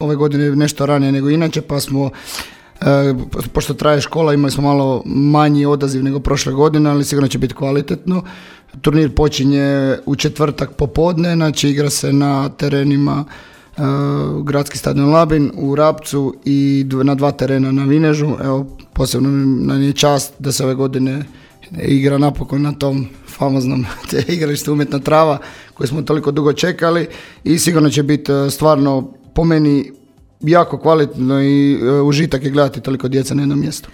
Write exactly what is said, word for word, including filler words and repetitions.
ove godine nešto ranije nego inače, pa smo, e, pošto traje škola, imali smo malo manji odaziv nego prošle godine, ali sigurno će biti kvalitetno. Turnir počinje u četvrtak popodne, znači igra se na terenima e, Gradski stadion Labin u Rapcu i na dva terena na Vinežu. Evo, posebno nam je čast da se ove godine igra napokon na tom famoznom igralištu Umjetna trava koju smo toliko dugo čekali i sigurno će biti stvarno po meni jako kvalitetno i užitak je gledati toliko djeca na jednom mjestu.